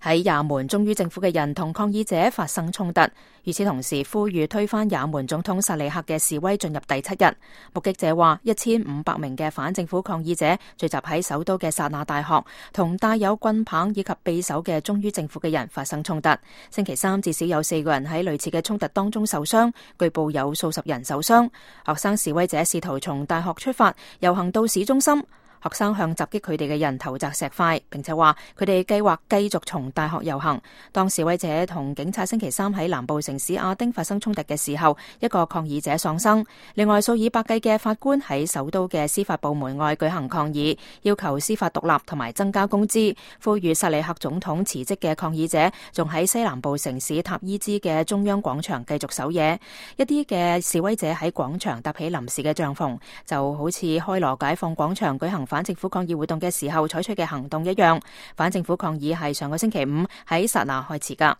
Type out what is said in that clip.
喺也門忠於政府嘅人同抗議者發生衝突，與此同時呼籲推翻也門總統薩利克嘅示威進入第7日。目擊者話，1500名嘅反政府抗議者聚集喺首都嘅薩那大學，同帶有棍棒以及匕首嘅忠於政府嘅人發生衝突。星期三至少有4個人喺類似嘅衝突當中受傷，據報有數十人受傷。學生示威者試圖從大學出發，遊行到市中心。學生向襲擊佢哋嘅人投擲石塊，並且話佢哋計劃繼續從大學遊行。當示威者同警察星期三喺南部城市亞丁發生衝突嘅時候，一個抗議者喪生。另外，數以百計嘅法官喺首都嘅司法部門外舉行抗議，要求司法獨立同埋增加工資，呼籲薩利克總統辭職嘅抗議者仲喺西南部城市塔伊茲嘅中央廣場繼續守夜。一啲嘅示威者喺廣場搭起臨時嘅帳篷，就好似開羅解放廣場舉行反政府抗議活動嘅時候採取嘅行動一樣。反政府抗議係上個星期五喺薩那開始㗎。